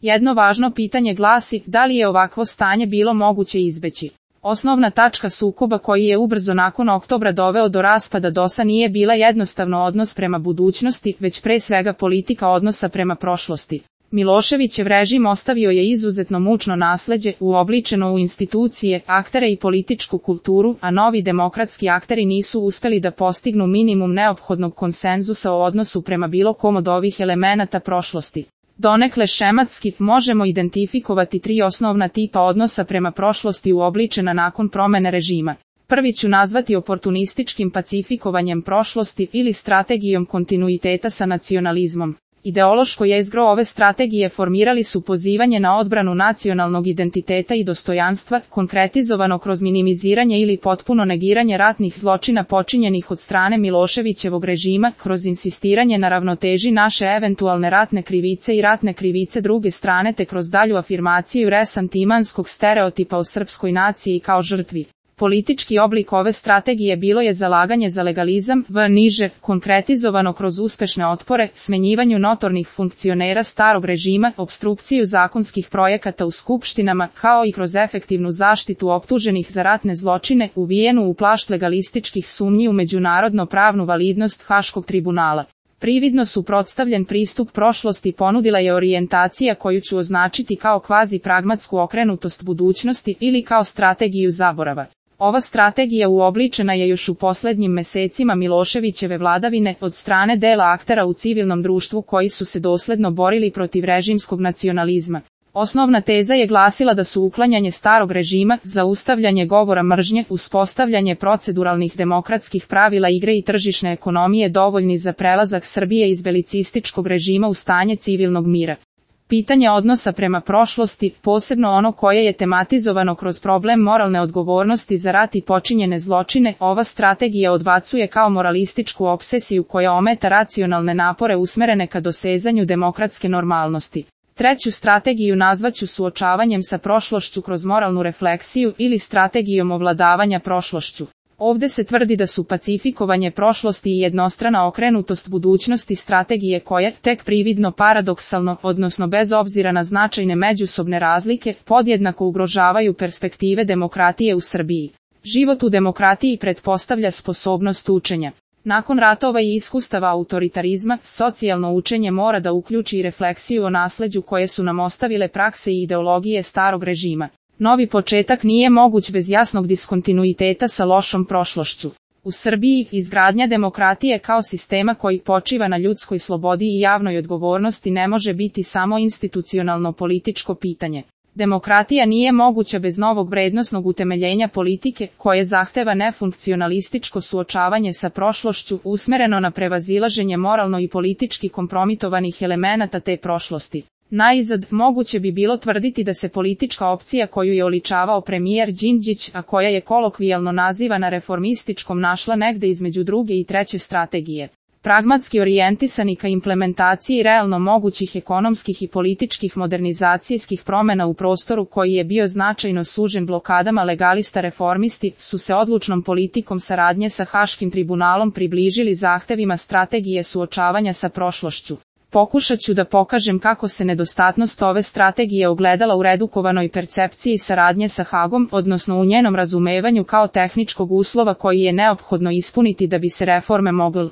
Jedno važno pitanje glasi, da li je ovakvo stanje bilo moguće izbeći? Osnovna tačka sukoba koji je ubrzo nakon oktobra doveo do raspada DOS-a nije bila jednostavno odnos prema budućnosti, već pre svega politika odnosa prema prošlosti. Miloševićev režim ostavio je izuzetno mučno nasleđe, uobličeno u institucije, aktere i političku kulturu, a novi demokratski akteri nisu uspeli da postignu minimum neophodnog konsenzusa o odnosu prema bilo kom od ovih elemenata prošlosti. Donekle šematski možemo identifikovati 3 osnovna tipa odnosa prema prošlosti uobličena nakon promene režima. Prvi ću nazvati oportunističkim pacifikovanjem prošlosti ili strategijom kontinuiteta sa nacionalizmom. Ideološko jezgro ove strategije formirali su pozivanje na odbranu nacionalnog identiteta i dostojanstva, konkretizovano kroz minimiziranje ili potpuno negiranje ratnih zločina počinjenih od strane Miloševićevog režima, kroz insistiranje na ravnoteži naše eventualne ratne krivice i ratne krivice druge strane te kroz dalju afirmaciju resantimanskog stereotipa o srpskoj naciji kao žrtvi. Politički oblik ove strategije bilo je zalaganje za legalizam, niže, konkretizovano kroz uspešne otpore, smenjivanju notornih funkcionera starog režima, opstrukciju zakonskih projekata u skupštinama, kao i kroz efektivnu zaštitu optuženih za ratne zločine, uvijenu u plašt legalističkih sumnji u međunarodno pravnu validnost Haškog tribunala. Prividno suprotstavljen pristup prošlosti ponudila je orijentacija koju ću označiti kao kvazi pragmatsku okrenutost budućnosti ili kao strategiju zaborava. Ova strategija uobličena je još u poslednjim mesecima Miloševićeve vladavine od strane dela aktera u civilnom društvu koji su se dosledno borili protiv režimskog nacionalizma. Osnovna teza je glasila da su uklanjanje starog režima, zaustavljanje govora mržnje, uspostavljanje proceduralnih demokratskih pravila igre i tržišne ekonomije dovoljni za prelazak Srbije iz belicističkog režima u stanje civilnog mira. Pitanje odnosa prema prošlosti, posebno ono koje je tematizovano kroz problem moralne odgovornosti za rat i počinjene zločine, ova strategija odbacuje kao moralističku obsesiju koja ometa racionalne napore usmerene ka dosezanju demokratske normalnosti. Treću strategiju nazvaću suočavanjem sa prošlošću kroz moralnu refleksiju ili strategijom ovladavanja prošlošću. Ovde se tvrdi da su pacifikovanje prošlosti i jednostrana okrenutost budućnosti strategije koje, tek prividno paradoksalno, odnosno bez obzira na značajne međusobne razlike, podjednako ugrožavaju perspektive demokratije u Srbiji. Život u demokratiji pretpostavlja sposobnost učenja. Nakon ratova i iskustava autoritarizma, socijalno učenje mora da uključi refleksiju o nasleđu koje su nam ostavile prakse i ideologije starog režima. Novi početak nije moguć bez jasnog diskontinuiteta sa lošom prošlošću. U Srbiji, izgradnja demokratije kao sistema koji počiva na ljudskoj slobodi i javnoj odgovornosti ne može biti samo institucionalno političko pitanje. Demokratija nije moguća bez novog vrednosnog utemeljenja politike, koje zahteva nefunkcionalističko suočavanje sa prošlošću, usmereno na prevazilaženje moralno i politički kompromitovanih elemenata te prošlosti. Naizad, moguće bi bilo tvrditi da se politička opcija koju je oličavao premijer Đinđić, a koja je kolokvijalno nazivana reformističkom, našla negde između druge i treće strategije. Pragmatski orijentisani ka implementaciji realno mogućih ekonomskih i političkih modernizacijskih promena u prostoru koji je bio značajno sužen blokadama legalista reformisti, su se odlučnom politikom saradnje sa Haškim tribunalom približili zahtevima strategije suočavanja sa prošlošću. Pokušat ću da pokažem kako se nedostatnost ove strategije ogledala u redukovanoj percepciji saradnje sa Hagom, odnosno u njenom razumevanju kao tehničkog uslova koji je neophodno ispuniti da bi se reforme mogle